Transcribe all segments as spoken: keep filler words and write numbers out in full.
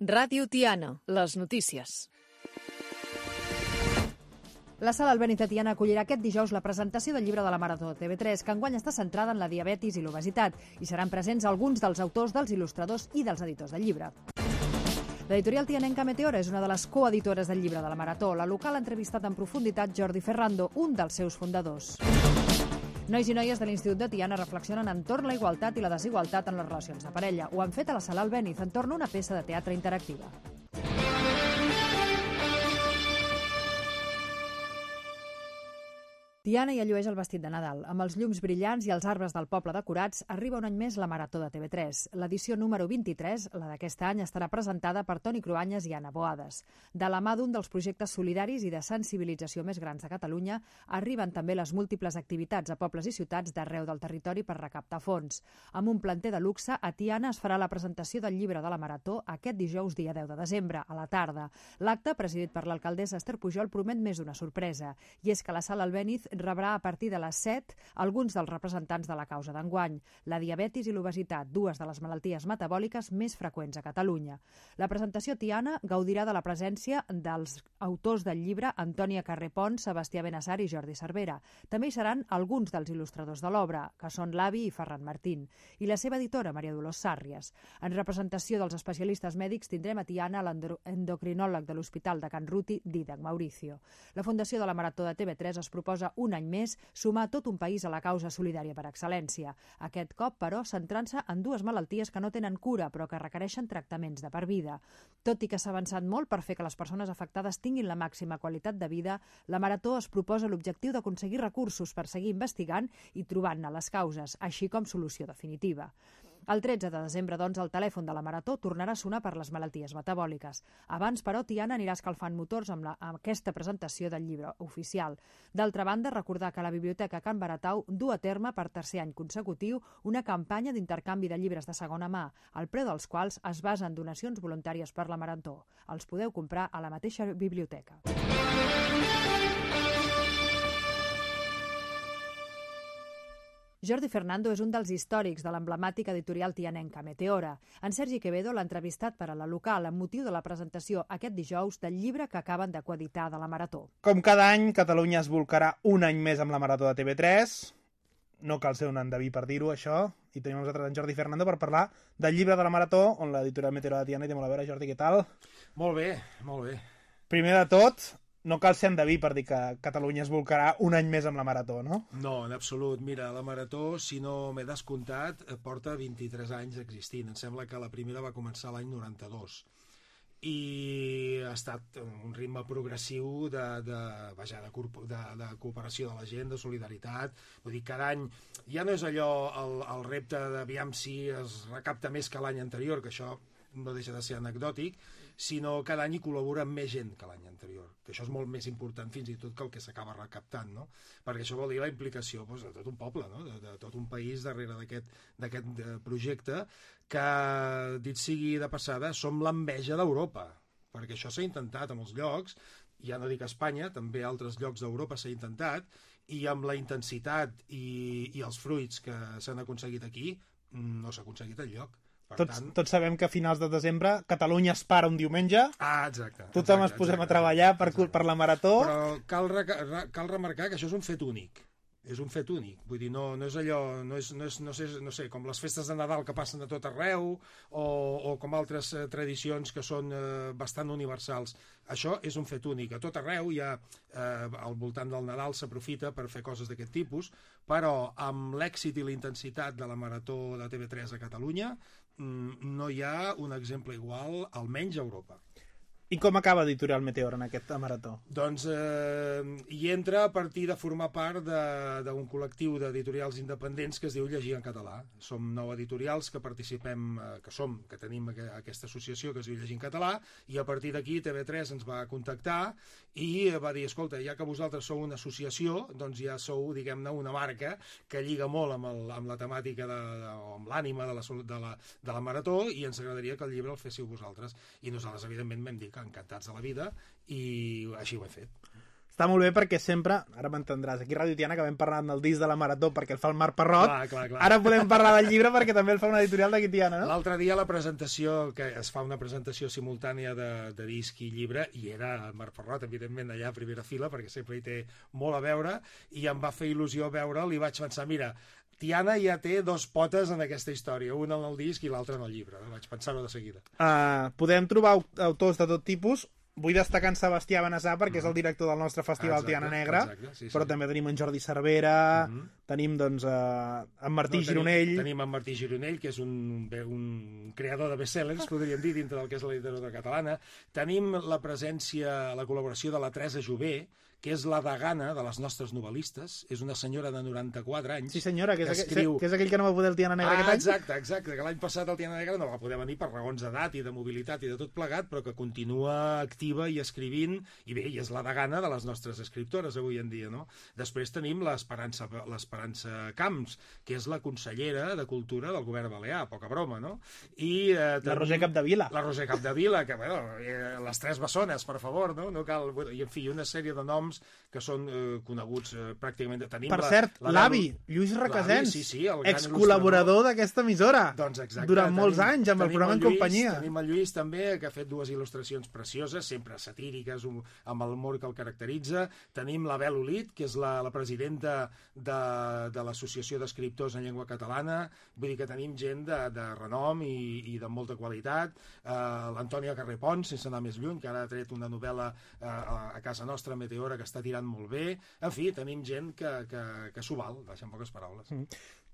Ràdio Tiana, les notícies. La Sala Albéniz de Tiana acollirà aquest dijous la presentació del llibre de la Marató de T V tres, que enguany està centrada en la diabetis i l'obesitat, i seran presents alguns dels autors, dels il·lustradors i dels editors del llibre. L'editorial tianenca Meteora és una de les coeditores del llibre de la Marató. La local ha entrevistat en profunditat Jordi Ferrando, un dels seus fundadors. Nois i noies de l'Institut de Tiana reflexionen entorn la igualtat i la desigualtat en les relacions de parella. Ho han fet a la Sala Albéniz entorn a una peça de teatre interactiva. Tiana ja llueix el vestit de Nadal. Amb els llums brillants i els arbres del poble decorats, arriba un any més la Marató de T V tres. L'edició número vint-i-tres, la d'aquest any, estarà presentada per Toni Cruanyes i Anna Boades. De la mà d'un dels projectes solidaris i de sensibilització més grans de Catalunya, arriben també les múltiples activitats a pobles i ciutats d'arreu del territori per recaptar fons. Amb un planter de luxe, a Tiana es farà la presentació del llibre de la Marató aquest dijous dia deu de desembre, a la tarda. L'acte, presidit per l'alcaldessa Esther Pujol, promet més d'una sorpresa, i és que la Sala Albéniz rebrà a partir de les set alguns dels representants de la causa d'enguany, la diabetis i l'obesitat, dues de les malalties metabòliques més freqüents a Catalunya. La presentació Tiana gaudirà de la presència dels autors del llibre Antònia Carré Pons, Sebastià Benassar i Jordi Cervera. També hi seran alguns dels il·lustradors de l'obra, que són l'Avi i Ferran Martín, i la seva editora, Maria Dolors Sàrries. En representació dels especialistes mèdics tindrem a Tiana l'endocrinòleg de l'Hospital de Can Ruti, Dídac Mauricio. La Fundació de la Marató de T V tres es proposa un any més sumar tot un país a la causa solidària per excel·lència. Aquest cop, però, centrant-se en dues malalties que no tenen cura, però que requereixen tractaments de per vida. Tot i que s'ha avançat molt per fer que les persones afectades tinguin la màxima qualitat de vida, la Marató es proposa l'objectiu d'aconseguir recursos per seguir investigant i trobant-ne les causes, així com solució definitiva. El tretze de desembre, doncs, el telèfon de la Marató tornarà a sonar per les malalties metabòliques. Abans, però, Tiana anirà escalfant motors amb, la, amb aquesta presentació del llibre oficial. D'altra banda, recordar que la Biblioteca Can Baratau du a terme per tercer any consecutiu una campanya d'intercanvi de llibres de segona mà, el preu dels quals es basa en donacions voluntàries per la Marató. Els podeu comprar a la mateixa biblioteca. Jordi Ferrando és un dels històrics de l'emblemàtica editorial tianenca Meteora. En Sergi Quevedo l'ha entrevistat per a la local amb motiu de la presentació aquest dijous del llibre que acaben de coeditar de la Marató. Com cada any, Catalunya es bolcarà un any més amb la Marató de T V tres. No cal ser un endeví per dir-ho, això. I tenim nosaltres en Jordi Ferrando per parlar del llibre de la Marató, on l'editorial Meteora de Tiana hi té molt a veure. Jordi, què tal? Molt bé, molt bé. Primer de tot, no cal ser endeví per dir que Catalunya es bolcarà un any més amb la Marató, no? No, en absolut. Mira, la Marató, si no m'he descomptat, porta vint-i-tres anys existint. Em sembla que la primera va començar l'any noranta-dos. I ha estat un ritme progressiu de, de, vaja, de, de, de cooperació de la gent, de solidaritat. Vull dir, cada any ja no és allò el, el repte d'aviam si es recapta més que l'any anterior, que això no deixa de ser anecdòtic, sinó cada any hi col·labora més gent que l'any anterior, que això és molt més important fins i tot que el que s'acaba recaptant, no? Perquè això vol dir la implicació doncs, de tot un poble, no? de, de tot un país darrere d'aquest projecte, que, dit sigui de passada, som l'enveja d'Europa, perquè això s'ha intentat a molts llocs, ja no dic a Espanya, també a altres llocs d'Europa s'ha intentat, i amb la intensitat i, i els fruits que s'han aconseguit aquí, no s'ha aconseguit enlloc. Tots, tots sabem que a finals de desembre Catalunya es para un diumenge. Ah, exacte. Tothom exacte, ens posem exacte, a treballar per, per la Marató. Però cal, re, cal remarcar que això és un fet únic. És un fet únic, vull dir, no, no és allò, no és, no és no sé, no sé, com les festes de Nadal que passen a tot arreu, o, o com altres eh, tradicions que són eh, bastant universals. Això és un fet únic, a tot arreu hi ha, eh, al voltant del Nadal s'aprofita per fer coses d'aquest tipus, però amb l'èxit i la intensitat de la Marató de T V tres a Catalunya no hi ha un exemple igual, almenys a Europa. I com acaba Editorial Meteora en aquesta Marató? Doncs eh, hi entra a partir de formar part d'un col·lectiu d'editorials independents que es diu Llegir en Català. Som nou editorials que participem, eh, que som, que tenim aquesta associació que es diu Llegir en Català, i a partir d'aquí T V tres ens va contactar i va dir, escolta, ja que vosaltres sou una associació, doncs ja sou, diguem-ne, una marca que lliga molt amb, el, amb la temàtica de, de, o amb l'ànima de, la, de, la, de la Marató, i ens agradaria que el llibre el féssiu vosaltres. I nosaltres, evidentment, vam dir que encantats de la vida, i així ho he fet. està molt bé perquè sempre, ara m'entendràs, aquí a Ràdio Tiana que vam parlar del disc de la Marató perquè el fa el Marc Parrot, clar, clar, clar. Ara podem parlar del llibre perquè també el fa una editorial d'aquí Tiana, no? L'altre dia la presentació, que es fa una presentació simultània de, de disc i llibre, i era el Marc Parrot, evidentment, allà a primera fila, perquè sempre hi té molt a veure, i em va fer il·lusió veure'l i vaig pensar, mira, Tiana ja té dos potes en aquesta història, una en el disc i l'altra en el llibre. Vaig pensar-ho de seguida. Uh, podem trobar autors de tot tipus. Vull destacar en Sebastià Benassar perquè és el director del nostre festival exacte, Tiana Negra, exacte, sí, sí. Però també tenim en Jordi Cervera, uh -huh. tenim doncs uh, en Martí no, Gironell... Tenim, tenim en Martí Gironell, que és un, un creador de bestsellers, podríem dir, dintre del que és la literatura catalana. Tenim la presència, la col·laboració de la Teresa Jové, que és la degana de les nostres novel·listes, és una senyora de noranta-quatre anys. Sí senyora, que és, que, escriu... que és aquell que no va poder el Tiana Negra ah, aquest any. Exacte, exacte, que l'any passat el Tiana Negra no va poder venir per raons d'edat i de mobilitat i de tot plegat, però que continua activa i escrivint, i bé, i és la degana de les nostres escriptores avui en dia, no? Després tenim l'Esperança l'Esperança Camps, que és la consellera de Cultura del govern balear, poca broma, no? I, eh, la Roser Capdevila. La Roser Capdevila, que, bueno, eh, les tres bessones, per favor, no? No cal... I, en fi, una sèrie de noms que són eh, coneguts eh, pràcticament... Tenim per la, cert, l'avi, la... Lluís Requesens, sí, sí, excol·laborador d'aquesta emissora, doncs exacte, durant tenim, molts anys, amb el programa el En Companyia. Tenim el Lluís també, que ha fet dues il·lustracions precioses, sempre satíriques, amb l'humor que el caracteritza. Tenim la Bel Olit, que és la, la presidenta de, de l'Associació d'Escriptors en Llengua Catalana. Vull dir que tenim gent de, de renom i, i de molta qualitat. Uh, L'Antònia Carrepons, sense anar més lluny, que ara ha tret una novel·la uh, a, a casa nostra, Meteora, que està tirant molt bé. En fi, tenim gent que, que, que s'ho val, deixa en poques paraules. Mm.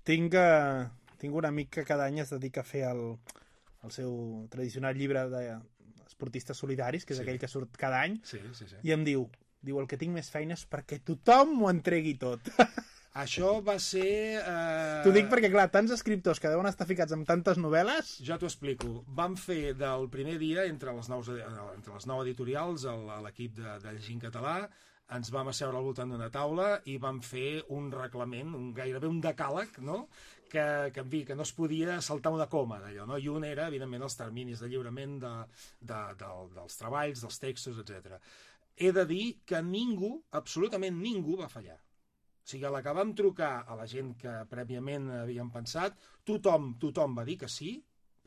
Tinc, uh, tinc un amic que cada any es dedica a fer el, el seu tradicional llibre d'esportistes solidaris, que és sí. aquell que surt cada any, sí, sí, sí. i em diu, diu, el que tinc més feina és perquè tothom m'ho entregui tot. Això va ser... Eh... T'ho dic perquè, clar, tants escriptors que deuen estar ficats amb tantes novel·les... Jo t'ho explico. Vam fer del primer dia, entre les, nous, entre les nou editorials, l'equip de, de Llegint Català, ens vam asseure al voltant d'una taula i vam fer un reglament, un, gairebé un decàleg, no? que, que, en fi, que no es podia saltar una coma d'allò, no? I un era, evidentment, els terminis de lliurament de, de, de, dels treballs, dels textos, etcètera. He de dir que ningú, absolutament ningú, va fallar. O sigui, a la que vam trucar a la gent que prèviament havíem pensat, tothom, tothom va dir que sí,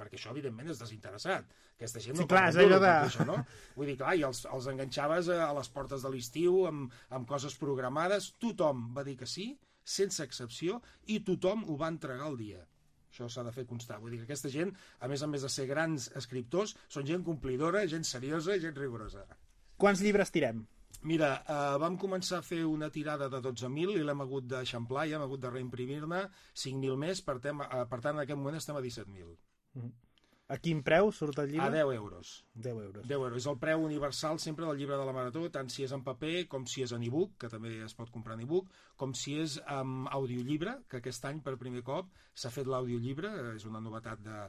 perquè això, evidentment, és desinteressat. Aquesta gent no sí, clar, és allò de... això, no? Vull dir, clar, i els, els enganxaves a les portes de l'estiu amb, amb coses programades. Tothom va dir que sí, sense excepció, i tothom ho va entregar el dia. Això s'ha de fer constar. Vull dir que aquesta gent, a més a més de ser grans escriptors, són gent complidora, gent seriosa i gent rigorosa. Quants llibres tirem? Mira, eh, vam començar a fer una tirada de dotze mil i l'hem hagut d'eixamplar i hem hagut de reimprimir-ne cinc mil més, per, tem, eh, per tant, en aquest moment estem a disset mil. Mm. A quin preu surt el llibre? A deu euros. deu euros. deu euros. És el preu universal sempre del llibre de la Marató, tant si és en paper com si és en e-book, que també es pot comprar en e-book, com si és en audiollibre, que aquest any per primer cop s'ha fet l'audiollibre, és una novetat de,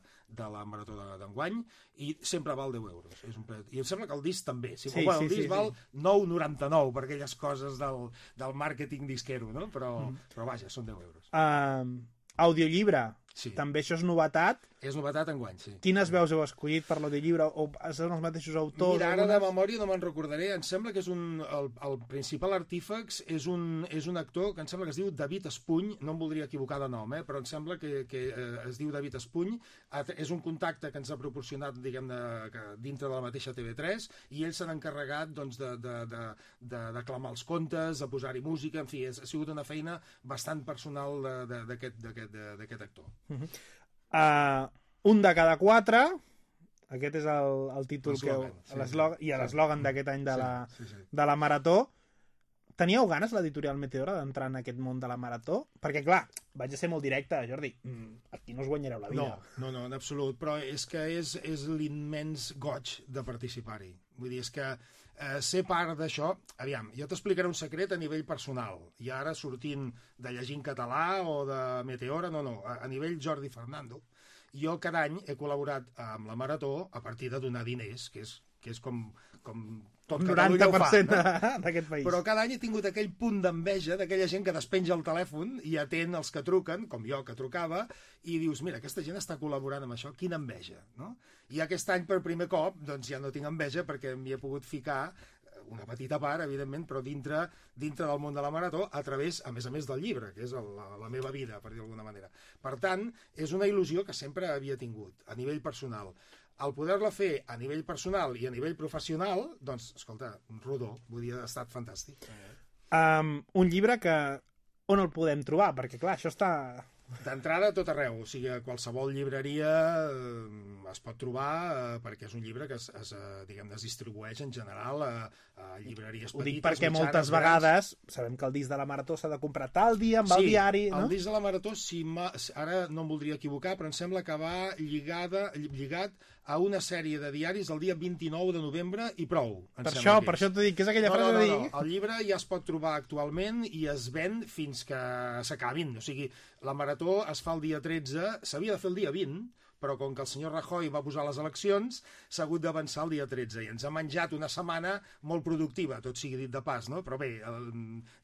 de la Marató d'enguany, i sempre val deu euros. És un preu... I em sembla que el disc també. Si sí, bueno, sí, el disc sí, val sí. nou coma noranta-nou per aquelles coses del, del màrqueting disquero, no? Però, mm. però vaja, són deu euros. Uh, audiollibre. Sí. També això és novetat. És novetat enguany, sí. Quines veus heu escollit per l'audiollibre? O són els mateixos autors? Mira, ara algunes... de memòria no me'n recordaré. Em sembla que és un... El, el principal artífex és un, és un actor que em sembla que es diu David Espuny. No em voldria equivocar de nom, eh? Però em sembla que, que eh, es diu David Espuny. És un contacte que ens ha proporcionat, diguem-ne, dintre de la mateixa T V tres, i ell s'ha encarregat, doncs, de, de, de, de, de clamar els contes, de posar-hi música. En fi, és, ha sigut una feina bastant personal d'aquest actor. Mm-hmm. Uh, un de cada quatre, aquest és el, el títol que heu, sí, i l'eslògan sí. d'aquest any de la, sí, sí, sí. de la Marató. Teníeu ganes, l'editorial Meteora, d'entrar en aquest món de la Marató? Perquè, clar, vaig a ser molt directe, Jordi, aquí no us guanyareu la vida. No, no, no, en absolut, però és que és, és l'immens goig de participar-hi. Vull dir, és que eh, ser part d'això... Aviam, jo t'explicaré un secret a nivell personal, i ara sortint de Llegint Català o de Meteora, no, no, a, a nivell Jordi Fernando, jo cada any he col·laborat amb la Marató a partir de donar diners, que és, que és com, com tot Catalunya ho fa, no? d'aquest país. Però cada any he tingut aquell punt d'enveja d'aquella gent que despenja el telèfon i atén els que truquen, com jo que trucava, i dius, mira, aquesta gent està col·laborant amb això, quina enveja, no? I aquest any per primer cop doncs ja no tinc enveja perquè m'hi he pogut ficar una petita part, evidentment, però dintre, dintre del món de la marató, a través, a més a més del llibre, que és la, la meva vida, per dir d'alguna manera. Per tant, és una il·lusió que sempre havia tingut, a nivell personal. Al poder-la fer a nivell personal i a nivell professional, doncs, escolta, rodó, vull dir, ha estat fantàstic. Um, un llibre que... On el podem trobar? Perquè, clar, això està... D'entrada a tot arreu, o sigui, a qualsevol llibreria eh, es pot trobar eh, perquè és un llibre que es, es, eh, diguem, es distribueix en general a, a llibreries petites. Ho dic perquè mitjanes, moltes vegades sabem que el disc de la Marató s'ha de comprar tal dia amb sí, el diari, no? El disc de la Marató, si ara no em voldria equivocar, però em sembla que va lligada, lligat a una sèrie de diaris el dia vint-i-nou de novembre i prou. Per això, per això t'ho dic, que és aquella no, frase no, no, de dir... No. El llibre ja es pot trobar actualment i es ven fins que s'acabin. O sigui, la Marató es fa el dia tretze, s'havia de fer el dia vint, però com que el senyor Rajoy va posar les eleccions, s'ha hagut d'avançar el dia tretze, i ens ha menjat una setmana molt productiva, tot sigui dit de pas, no? Però bé, el,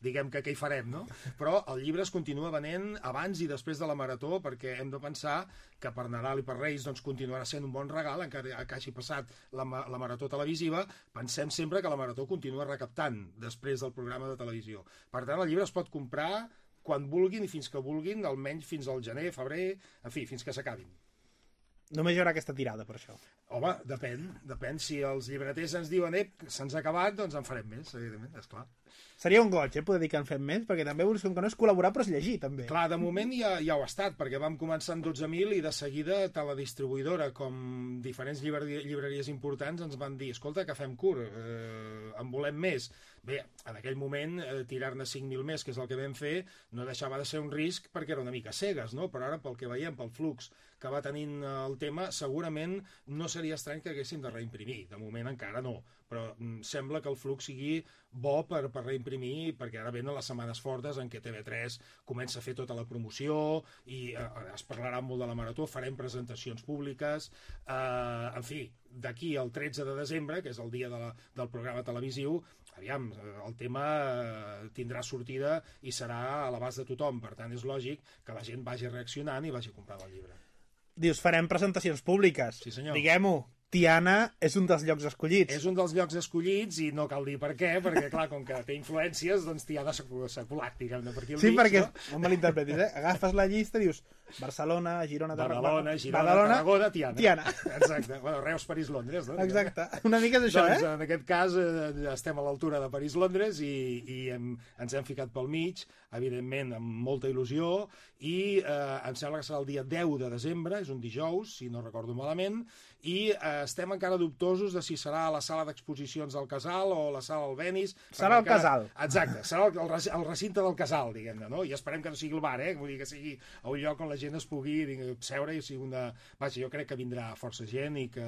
diguem que què hi farem, no? Però el llibre es continua venent abans i després de la Marató, perquè hem de pensar que per Nadal i per Reis doncs, continuarà sent un bon regal, encara que hagi passat la, la Marató televisiva. Pensem sempre que la Marató continua recaptant després del programa de televisió. Per tant, el llibre es pot comprar quan vulguin i fins que vulguin, almenys fins al gener, febrer, en fi, fins que s'acabin. Només hi haurà aquesta tirada, per això. Home, depèn, depèn. Si els llibreters ens diuen, ep, se'ns ha acabat, doncs en farem més, evidentment, esclar. Seria un goig, eh, poder dir que en fem més, perquè també com que no és col·laborar, però és llegir, també. Clar, de moment ja, ja ho ha estat, perquè vam començar en dotze mil i de seguida tant la distribuïdora com diferents llibreries, llibreries importants ens van dir, escolta, que fem curt, eh, en volem més. Bé, en aquell moment, eh, tirar-ne cinc mil més, que és el que vam fer, no deixava de ser un risc perquè era una mica cegues, no? Però ara, pel que veiem, pel flux que va tenint el tema, segurament no seria estrany que haguéssim de reimprimir. De moment encara no, però mm, sembla que el flux sigui bo per, per reimprimir, perquè ara venen les setmanes fortes en què T V tres comença a fer tota la promoció i eh, es parlarà molt de la Marató, farem presentacions públiques, eh, en fi, d'aquí al tretze de desembre, que és el dia de la, del programa televisiu, aviam, el tema eh, tindrà sortida i serà a l'abast de tothom, per tant és lògic que la gent vagi reaccionant i vagi comprant el llibre. Dius, farem presentacions públiques. Sí, senyor. Diguem-ho, Tiana és un dels llocs escollits. És un dels llocs escollits i no cal dir per què, perquè, clar, com que té influències, doncs Tiana s'ha colat, diguem-ne, per aquí al Sí, mig, perquè, no? no me l'interpretis, eh? Agafes la llista i dius Barcelona, Girona, Badalona, Girona, Badalona, Tarragona, Tiana. Tiana. Exacte. Bueno, Reus, París, Londres, no? Exacte. Una mica és això, doncs, eh? en aquest cas eh, estem a l'altura de París-Londres i, i hem, ens hem ficat pel mig, evidentment amb molta il·lusió, i eh, em sembla que serà el dia deu de desembre, és un dijous, si no recordo malament, i eh, estem encara dubtosos de si serà a la sala d'exposicions del Casal o la sala Albéniz. Serà el encara... Casal. Exacte, serà el, el, el recinte del Casal, diguem-ne, no? I esperem que no sigui el bar, eh? Vull dir que sigui a un lloc on la gent es pugui diguem, seure i sigui una... Vaja, jo crec que vindrà força gent i que,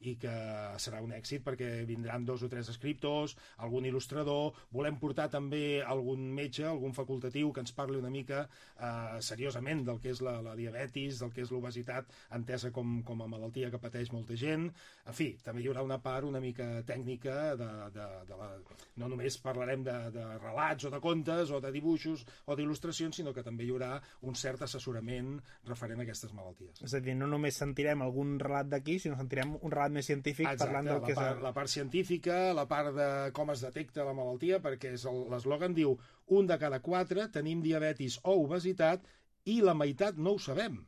i que serà un èxit perquè vindran dos o tres escriptors, algun il·lustrador, volem portar també algun metge, algun facultatiu que ens parli una mica eh, seriosament del que és la, la diabetis, del que és l'obesitat entesa com, com a malaltia que pateix molta gent. En fi, també hi haurà una part una mica tècnica de, de, de la... no només parlarem de, de relats o de contes o de dibuixos o d'il·lustracions, sinó que també hi haurà un cert assessorament referent a aquestes malalties. És a dir, no només sentirem algun relat d'aquí, sinó sentirem un relat més científic. Exacte, parlant del la que és... part, la part científica, la part de com es detecta la malaltia, perquè l'eslògan diu un de cada quatre tenim diabetis o obesitat i la meitat no ho sabem.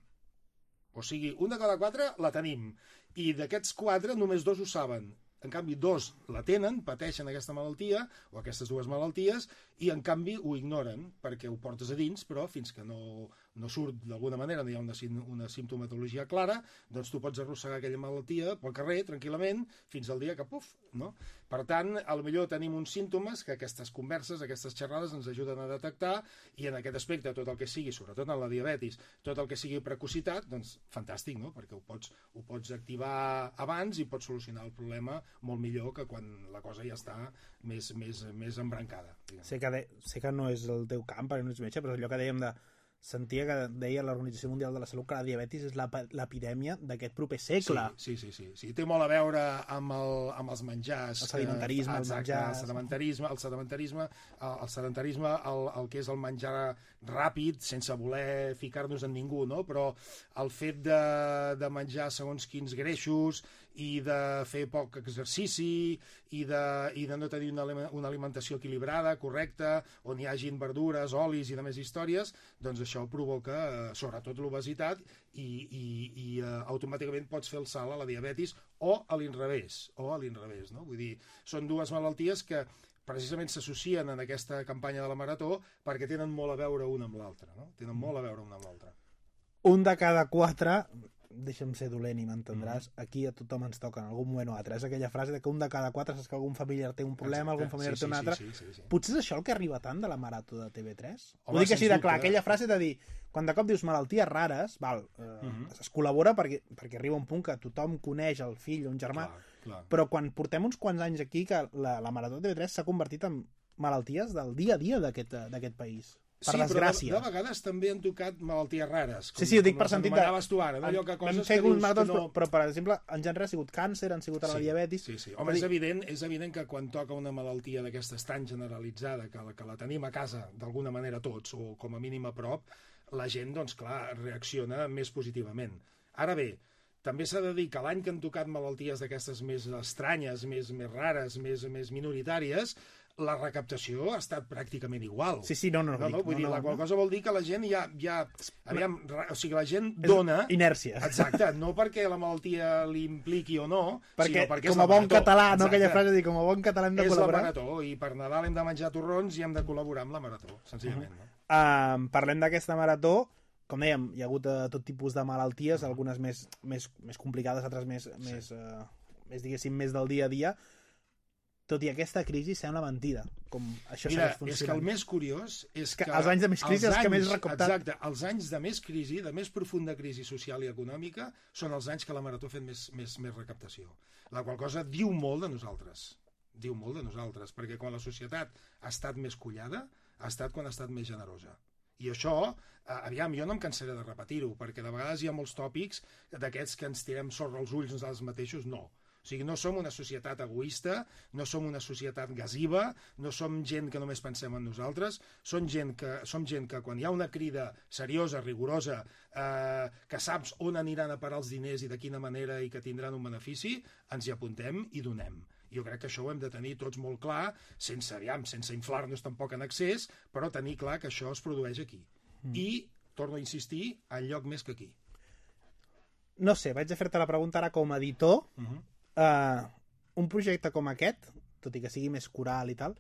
O sigui, un de cada quatre la tenim i d'aquests quatre només dos ho saben. En canvi, dos la tenen, pateixen aquesta malaltia o aquestes dues malalties i en canvi ho ignoren perquè ho portes a dins, però fins que no, no surt d'alguna manera, no hi ha una, una simptomatologia clara, doncs tu pots arrossegar aquella malaltia pel carrer tranquil·lament fins al dia que puf, no? Per tant, potser tenim uns símptomes que aquestes converses, aquestes xerrades ens ajuden a detectar i en aquest aspecte tot el que sigui, sobretot en la diabetis, tot el que sigui precocitat, doncs fantàstic, no? Perquè ho pots, ho pots activar abans i pots solucionar el problema molt millor que quan la cosa ja està més, més, més embrancada. Sé que, de, sé que no és el teu camp, perquè no ets metge, però allò que dèiem de... Sentia que deia l'Organització Mundial de la Salut que la diabetis és l'epidèmia d'aquest proper segle. Sí, sí, sí, sí. Té molt a veure amb, el, amb els menjars. El sedimentarisme, eh, els exacte, menjars... El sedimentarisme, el sedimentarisme, el, el, sedimentarisme el, el que és el menjar ràpid, sense voler ficar-nos en ningú, no? Però el fet de, de menjar segons quins greixos i de fer poc exercici i de, i de no tenir una, una alimentació equilibrada, correcta, on hi hagin verdures, olis i de més històries, doncs això provoca eh, sobretot l'obesitat i, i, i eh, automàticament pots fer el salt a la diabetis o a l'inrevés, o a l'inrevés, no? Vull dir, són dues malalties que precisament s'associen en aquesta campanya de la Marató perquè tenen molt a veure una amb l'altra, no? Tenen molt a veure una amb l'altra. Un de cada quatre, deixa'm ser dolent i m'entendràs, mm. aquí a tothom ens toca en algun moment o altre. És aquella frase de que un de cada quatre saps que algun familiar té un problema, exacte, algun familiar sí, té un sí, altre. Sí, sí, sí, sí. Potser és això el que arriba tant de la Marató de T V tres? Home, ho dic així de clar, dubte. Aquella frase de dir, quan de cop dius malalties rares, val, eh, mm-hmm. es col·labora perquè, perquè arriba un punt que tothom coneix el fill o un germà, clar, clar. Però quan portem uns quants anys aquí que la, la Marató de T V tres s'ha convertit en malalties del dia a dia d'aquest país. Per sí, desgràcia. però de, de vegades també han tocat malalties rares. Com, sí, sí, ho dic per sentit de... tu ara, no? Allò que coses que dius maratons, que no... però, però, per exemple, en gènere ha sigut càncer, han sigut a la sí, diabetis... Sí, sí. Home, és, evident, és evident que quan toca una malaltia d'aquestes tan generalitzada, que la, que la tenim a casa d'alguna manera tots, o com a mínim a prop, la gent, doncs clar, reacciona més positivament. Ara bé, també s'ha de dir que l'any que han tocat malalties d'aquestes més estranyes, més, més rares, més, més minoritàries, la recaptació ha estat pràcticament igual. Sí, sí, no, no. no, no vull no, dir, no, la qual no. cosa vol dir que la gent ja... ja aviam, o sigui, la gent dona... Inèrcia. Exacte, no perquè la malaltia li impliqui o no, perquè, sinó perquè com a bon català, no aquella frase de dir, com a bon català hem de és col·laborar. És la Marató, i per Nadal hem de menjar torrons i hem de col·laborar amb la Marató, senzillament. Uh -huh. no? uh, parlem d'aquesta Marató, com dèiem, hi ha hagut uh, tot tipus de malalties, uh -huh. algunes més, més, més complicades, altres més, sí. més, uh, més, diguéssim, més del dia a dia. Tot i aquesta crisi sembla mentida, com això Mira, segueix funcionant. és que el més curiós és que... que els anys de més crisi, els, els que més recaptat... Exacte, els anys de més crisi, de més profunda crisi social i econòmica, són els anys que la Marató ha fet més, més, més recaptació. La qual cosa diu molt de nosaltres. Diu molt de nosaltres, perquè quan la societat ha estat més collada, ha estat quan ha estat més generosa. I això, eh, aviam, jo no em cansaré de repetir-ho, perquè de vegades hi ha molts tòpics d'aquests que ens tirem sorra als ulls nosaltres mateixos, no. O sigui, no som una societat egoista, no som una societat gasiva, no som gent que només pensem en nosaltres, som gent que, som gent que quan hi ha una crida seriosa, rigorosa, eh, que saps on aniran a parar els diners i de quina manera i que tindran un benefici, ens hi apuntem i donem. Jo crec que això ho hem de tenir tots molt clar, sense, aviam, sense inflar-nos tampoc en excés, però tenir clar que això es produeix aquí. Mm. I, torno a insistir, enlloc més que aquí. No sé, vaig a fer-te la pregunta ara com a editor. Uh-huh. Uh, un projecte com aquest, tot i que sigui més coral i tal,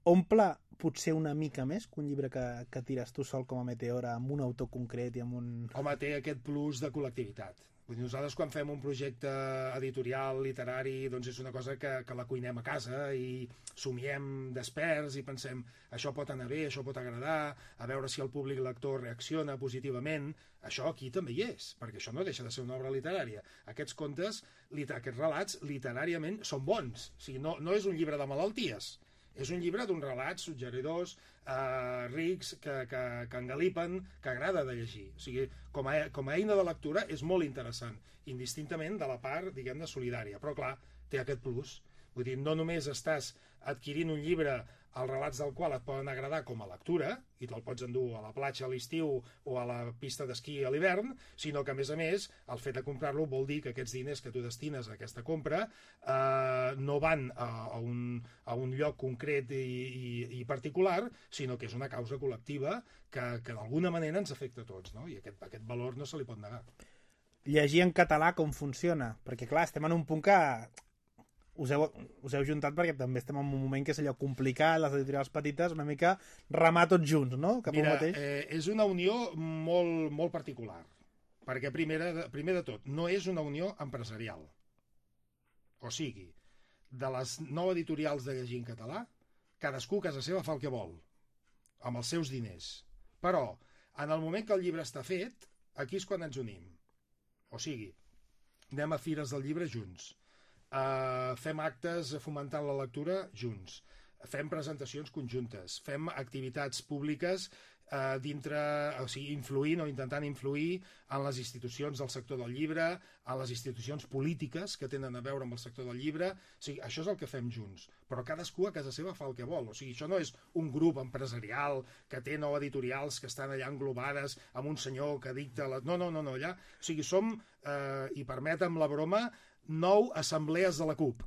omple potser una mica més que un llibre que, que tires tu sol com a Meteora amb un autor concret i amb un... Home, té aquest plus de col·lectivitat. Vull dir, nosaltres quan fem un projecte editorial, literari, doncs és una cosa que, que la cuinem a casa i somiem desperts i pensem això pot anar bé, això pot agradar, a veure si el públic lector reacciona positivament. Això aquí també hi és, perquè això no deixa de ser una obra literària. Aquests contes, aquests relats, literàriament són bons. O sigui, no, no és un llibre de malalties. És un llibre d'uns relats suggeridors, eh, rics, que, que, que engalipen, que agrada de llegir. O sigui, com a, com a eina de lectura és molt interessant, indistintament de la part, diguem-ne, solidària. Però, clar, té aquest plus. Vull dir, no només estàs adquirint un llibre els relats del qual et poden agradar com a lectura, i te'l pots endur a la platja a l'estiu o a la pista d'esquí a l'hivern, sinó que, a més a més, el fet de comprar-lo vol dir que aquests diners que tu destines a aquesta compra eh, no van a, a, un, a un lloc concret i, i, i particular, sinó que és una causa col·lectiva que, que d'alguna manera ens afecta a tots, no? I aquest, aquest valor no se li pot negar. Llegir en català com funciona? Perquè, clar, estem en un punt que... Us heu, us heu juntat perquè també estem en un moment que és allò complicat, les editorials petites, una mica remar tots junts, no? Cap Mira, mateix. Eh, és una unió molt, molt particular, perquè primer, primer de tot, no és una unió empresarial. O sigui, de les nou editorials de llegir en català, cadascú a casa seva fa el que vol, amb els seus diners. Però, en el moment que el llibre està fet, aquí és quan ens unim. O sigui, anem a fires del llibre junts. Uh, fem actes fomentant la lectura junts, fem presentacions conjuntes, fem activitats públiques uh, dintre, o sigui, influint o intentant influir en les institucions del sector del llibre, en les institucions polítiques que tenen a veure amb el sector del llibre. O sigui, això és el que fem junts, però cadascú a casa seva fa el que vol. O sigui, això no és un grup empresarial que té nou editorials que estan allà englobades amb un senyor que dicta... La... No, no, no, no, allà... O sigui, som, eh, i permetem la broma, nou assemblees de la CUP.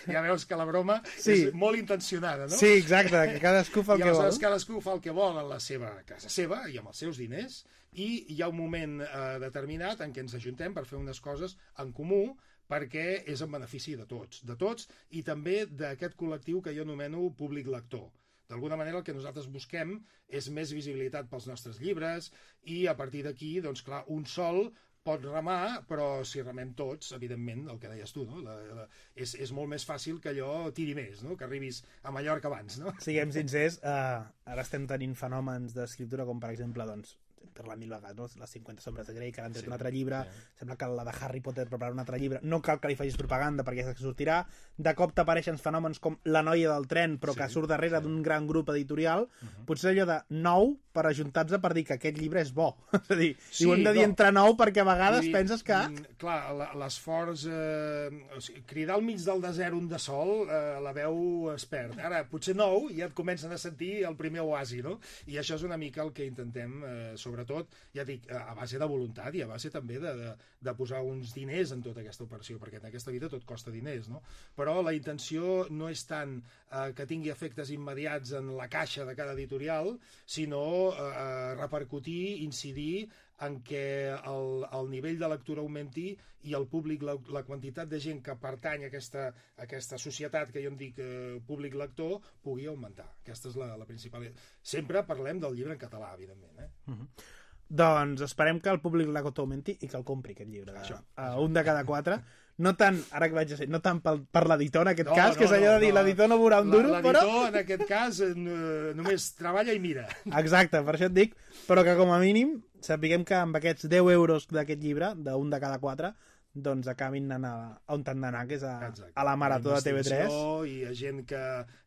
Ja veus que la broma sí. és molt intencionada, no? Sí, exacte, que cadascú fa el I que vol. aleshores cadascú fa el que vol a la seva casa seva i amb els seus diners, i hi ha un moment eh, determinat en què ens ajuntem per fer unes coses en comú, perquè és en benefici de tots, de tots i també d'aquest col·lectiu que jo anomeno públic lector. D'alguna manera el que nosaltres busquem és més visibilitat pels nostres llibres i a partir d'aquí, doncs clar, un sol pot remar, però si remem tots, evidentment, el que deies tu, no? la, la, és, és molt més fàcil que allò tiri més, no? Que arribis a Mallorca abans. No? Siguem sincers, uh, ara estem tenint fenòmens d'escriptura com, per exemple, doncs, per la mil vegades, no? Les cinquanta sombres de Grey, que han tret sí, un altre llibre, sí. Sembla que la de Harry Potter prepara un altre llibre, no cal que li facis propaganda perquè ja sortirà, de cop t'apareixen fenòmens com La noia del tren, però sí, que surt darrere sí. d'un gran grup editorial, uh -huh. potser allò de nou per ajuntar-se per dir que aquest llibre és bo. És a dir, sí, i ho hem de dir no. entre nou perquè a vegades dir, penses que... Clar, l'esforç, eh, o sigui, cridar al mig del desert un de sol, eh, la veu es perd. Ara, potser nou, ja et comencen a sentir el primer oasi, no? I això és una mica el que intentem, eh, sobretot, ja dic, a base de voluntat i a base també de, de, de posar uns diners en tota aquesta operació, perquè en aquesta vida tot costa diners, no? Però la intenció no és tant eh, que tingui efectes immediats en la caixa de cada editorial, sinó eh, repercutir, incidir en què el, el nivell de lectura augmenti i el públic, la, la quantitat de gent que pertany a aquesta, a aquesta societat que jo en dic eh, públic lector pugui augmentar. Aquesta és la, la principal... Sempre parlem del llibre en català, evidentment. Eh? Uh-huh. Doncs esperem que el públic lector augmenti i que el compri, aquest llibre. Això, uh, això. Un de cada quatre. No tant, ara que vaig a ser, no tant pel, per l'editor en aquest no, cas, no, que és allò no, de dir no. l'editor no veurà un duro, però... L'editor en aquest cas no, només treballa i mira. Exacte, per això et dic, però que com a mínim sapiguem que amb aquests deu euros d'aquest llibre, d'un de cada quatre, doncs acabin anant a, a on han d'anar, que és a, a la Marató de T V tres. I a gent que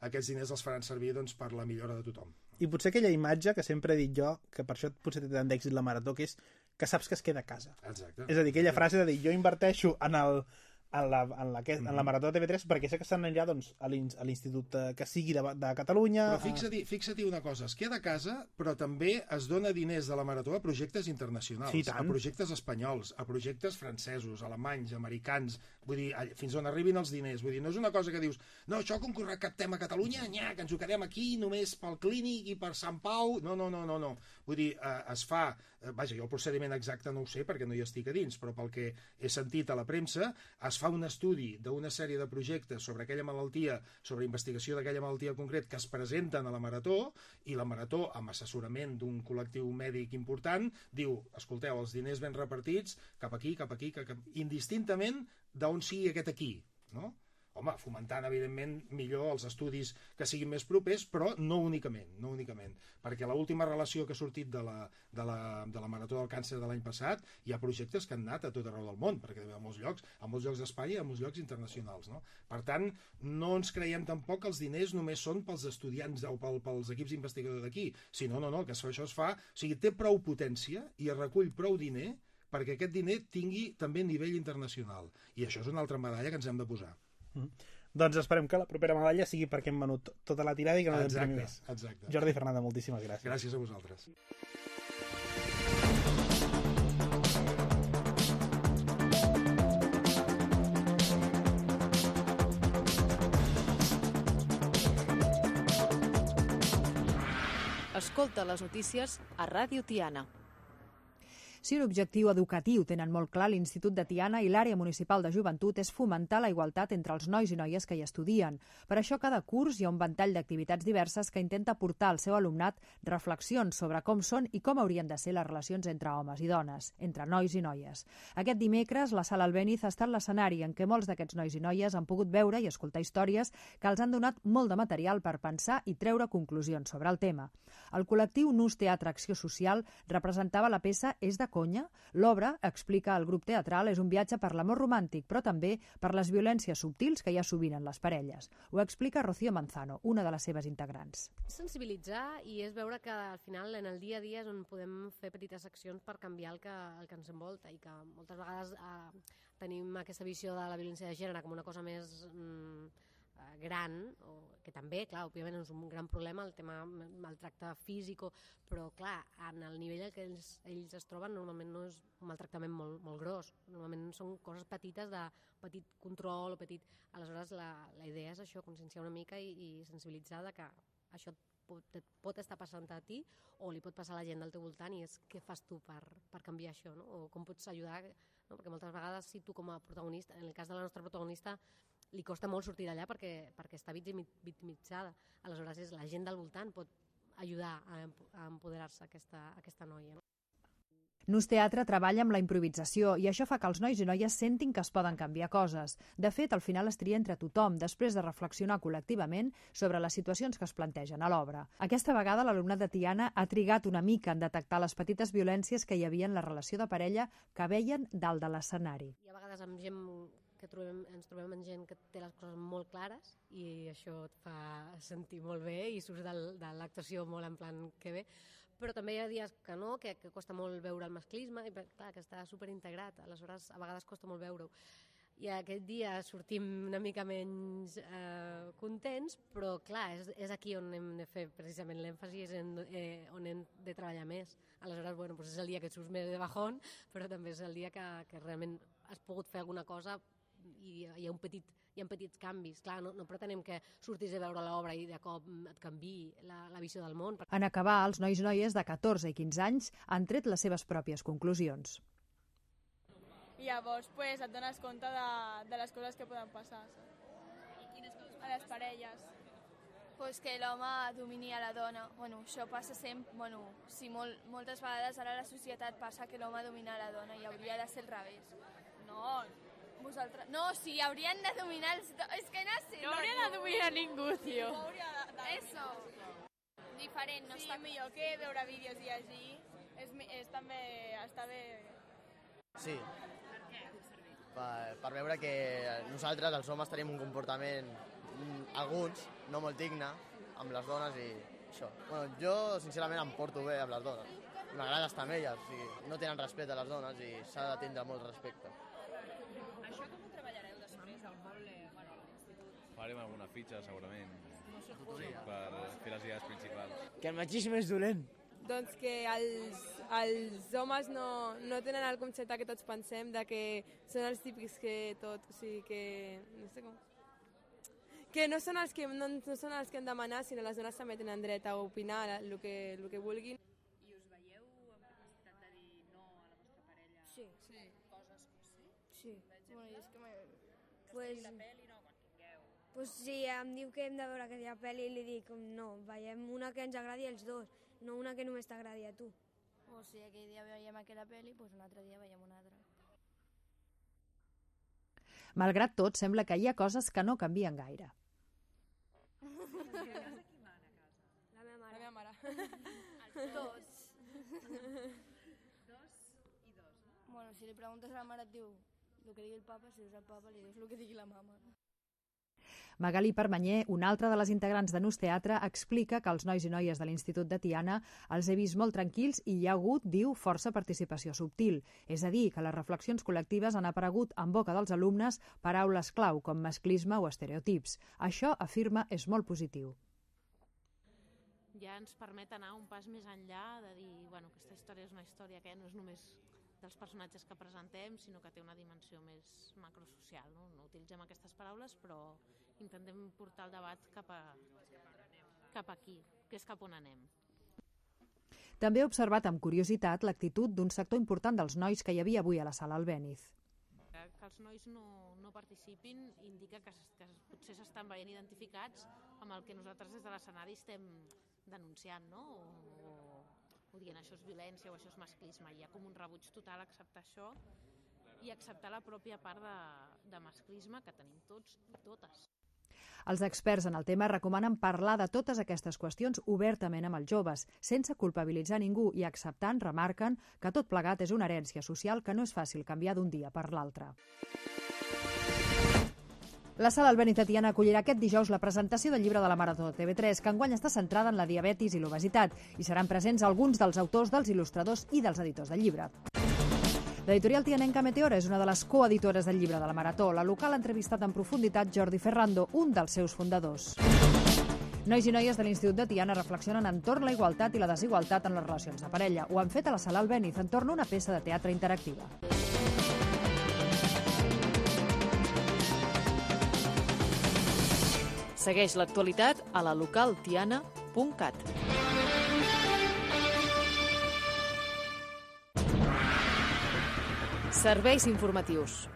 aquests diners els faran servir doncs, per la millora de tothom. I potser aquella imatge que sempre he dit jo, que per això potser té tant d'èxit la Marató, que és que saps que es queda a casa. Exacte. És a dir, aquella frase de dir, jo inverteixo en el... en la, en la, en la Marató de T V tres perquè sé que estan allà doncs, a l'institut que sigui de, de Catalunya. Però fixa-t'hi fixa una cosa, es queda a casa però també es dona diners de la Marató a projectes internacionals, sí, a projectes espanyols, a projectes francesos, alemanys, americans, vull dir, fins on arribin els diners, vull dir, no és una cosa que dius, no, això com que recaptem a Catalunya, nya, que ens ho quedem aquí només pel Clínic i per Sant Pau, no, no, no, no, no. Vull dir, eh, es fa, eh, vaja, jo el procediment exacte no ho sé perquè no hi estic a dins, però pel que he sentit a la premsa, es fa un estudi d'una sèrie de projectes sobre aquella malaltia, sobre investigació d'aquella malaltia concret que es presenten a la Marató, i la Marató, amb assessorament d'un col·lectiu mèdic important, diu, escolteu, els diners ben repartits, cap aquí, cap aquí, cap... indistintament d'on sigui aquest aquí, no? Home, fomentant, evidentment, millor els estudis que siguin més propers, però no únicament, no únicament. Perquè l'última relació que ha sortit de la, de la, de la Marató del Càncer de l'any passat, hi ha projectes que han anat a tot arreu del món, perquè a molts llocs, a molts llocs d'Espanya i a molts llocs internacionals, no? Per tant, no ens creiem tampoc que els diners només són pels estudiants o pel, pels equips investigadors d'aquí, sinó, no, no, que això es fa, o sigui, té prou potència i es recull prou diner perquè aquest diner tingui també nivell internacional. I això és una altra medalla que ens hem de posar. Mm. Doncs esperem que la propera medalla sigui perquè hem venut tota la tirada i que no ens premi més. Exacte. Jordi Fernanda, moltíssimes gràcies. Gràcies a vosaltres. Escolta les notícies a Ràdio Tiana. Si un objectiu educatiu tenen molt clar l'Institut de Tiana i l'Àrea Municipal de Joventut és fomentar la igualtat entre els nois i noies que hi estudien. Per això cada curs hi ha un ventall d'activitats diverses que intenta portar al seu alumnat reflexions sobre com són i com haurien de ser les relacions entre homes i dones, entre nois i noies. Aquest dimecres, la Sala Albéniz ha estat l'escenari en què molts d'aquests nois i noies han pogut veure i escoltar històries que els han donat molt de material per pensar i treure conclusions sobre el tema. El col·lectiu Nus Teatre Acció Social representava la peça És de conya? L'obra, explica el grup teatral, és un viatge per l'amor romàntic, però també per les violències subtils que hi ha sovint en les parelles. Ho explica Rocío Manzano, una de les seves integrants. Sensibilitzar i és veure que al final en el dia a dia és on podem fer petites accions per canviar el que, el que ens envolta i que moltes vegades eh, tenim aquesta visió de la violència de gènere com una cosa més... Mm, eh, gran, o, que també, clar, òbviament és un gran problema el tema maltracte físic, però clar, en el nivell en què ells, ells es troben normalment no és un maltractament molt, molt gros, normalment són coses petites de petit control o petit... Aleshores la, la idea és això, conscienciar una mica i, i sensibilitzar de que això pot, pot estar passant a ti o li pot passar a la gent del teu voltant i és què fas tu per, per canviar això, no? O com pots ajudar, no? Perquè moltes vegades si tu com a protagonista, en el cas de la nostra protagonista, li costa molt sortir d'allà perquè, perquè està victimitzada. Aleshores és la gent del voltant pot ajudar a, a empoderar-se aquesta, aquesta noia. No? Nus Teatre treballa amb la improvisació i això fa que els nois i noies sentin que es poden canviar coses. De fet, al final es tria entre tothom, després de reflexionar col·lectivament sobre les situacions que es plantegen a l'obra. Aquesta vegada l'alumnat de Tiana ha trigat una mica en detectar les petites violències que hi havia en la relació de parella que veien dalt de l'escenari. I a vegades amb gent que trobem, ens trobem amb gent que té les coses molt clares i això et fa sentir molt bé i surts del, de l'actuació molt en plan que bé, però també hi ha dies que no, que, que costa molt veure el masclisme i clar, que està superintegrat, aleshores a vegades costa molt veure-ho. I aquest dia sortim una mica menys eh, contents, però clar, és, és aquí on hem de fer precisament l'èmfasi, és en, eh, on hem de treballar més. Aleshores, bueno, doncs és el dia que surts més de bajón, però també és el dia que, que realment has pogut fer alguna cosa i hi ha un petit, hi ha petits canvis. Clar, no, no pretenem que surtis a veure l'obra i de cop et canviï la, la visió del món. En acabar, els nois i noies de catorze i quinze anys han tret les seves pròpies conclusions. I llavors pues, et dones compte de, de les coses que poden passar. I quines coses? A les parelles. Pues que l'home domini a la dona. Bueno, això passa sempre... Bueno, sí, molt, moltes vegades ara a la societat passa que l'home domina a la dona i hauria de ser al revés. No, vosaltres... No, sí, haurien de dominar els dos. És que no sé. No, no hauria de dominar ningú, tio. No hauria de, de... Eso. Diferent, no sí, està... Sí, millor que veure vídeos i llegir. És, és també... Està bé... Sí. Per què? Per, per veure que nosaltres, els homes, tenim un comportament, alguns, no molt digne, amb les dones i això. Bueno, jo, sincerament, em porto bé amb les dones. M'agrada estar amb elles, o sigui, no tenen respecte a les dones i s'ha de tindre molt respecte. Això com ho treballareu després al poble, bueno, a l'institut? Farem alguna fitxa, segurament, per fer les idees principals. Que el machisme és dolent. Doncs que els, els homes no, no tenen el concepte que tots pensem de que són els típics que tot, o sigui que... no sé com... Que no són els que, no, no són els que han de demanar, sinó les dones també tenen dret a opinar el que, el que vulguin. I us veieu amb capacitat de dir no a la vostra parella? Sí. Sí. Coses, sí? Sí. Bueno, és que m'he... Que pues... estigui la pel·li, no, quan tingueu. Pues si em diu que hem de veure aquella pel·li, li dic no, veiem una que ens agradi els dos, no una que només t'agradi a tu. O si aquell dia veiem aquella pel·li, pues un altre dia veiem una altra. Malgrat tot, sembla que hi ha coses que no canvien gaire. A casa qui mana a casa? La meva mare. La meva mare. Els dos. Dos i dos, no? Bueno, si li preguntes a la mare et diu el que digui el papa, si dius al papa li dius el que digui la mama. Magalí Permanyer, una altra de les integrants de Nus Teatre, explica que els nois i noies de l'Institut de Tiana els he vist molt tranquils i hi ha hagut, diu, força participació subtil. És a dir, que les reflexions col·lectives han aparegut en boca dels alumnes paraules clau com masclisme o estereotips. Això, afirma, és molt positiu. Ja ens permet anar un pas més enllà de dir, bueno, aquesta història és una història que no és només dels personatges que presentem, sinó que té una dimensió més macrosocial. No, no utilitzem aquestes paraules, però intentem portar el debat cap, a, cap aquí, que és cap on anem. També he observat amb curiositat l'actitud d'un sector important dels nois que hi havia avui a la sala Albéniz. Que els nois no, no participin indica que, que potser s'estan veient identificats amb el que nosaltres des de l'escenari estem denunciant, no? O, o dient això és violència o això és masclisme. Hi ha com un rebuig total a acceptar això i acceptar la pròpia part de, de masclisme que tenim tots i totes. Els experts en el tema recomanen parlar de totes aquestes qüestions obertament amb els joves, sense culpabilitzar ningú i acceptant, remarquen, que tot plegat és una herència social que no és fàcil canviar d'un dia per l'altre. La Sala Albéniz de Tiana acollirà aquest dijous la presentació del llibre de la Marató de T V tres, que enguany està centrada en la diabetis i l'obesitat, i seran presents alguns dels autors, dels il·lustradors i dels editors del llibre. L'editorial tianenca Meteora és una de les coeditores del llibre de la Marató. La local ha entrevistat en profunditat Jordi Ferrando, un dels seus fundadors. Nois i noies de l'Institut de Tiana reflexionen entorn la igualtat i la desigualtat en les relacions de parella. Ho han fet a la Sala Albéniz entorn a una peça de teatre interactiva. Segueix l'actualitat a la local tiana punt cat. Serveis informatius.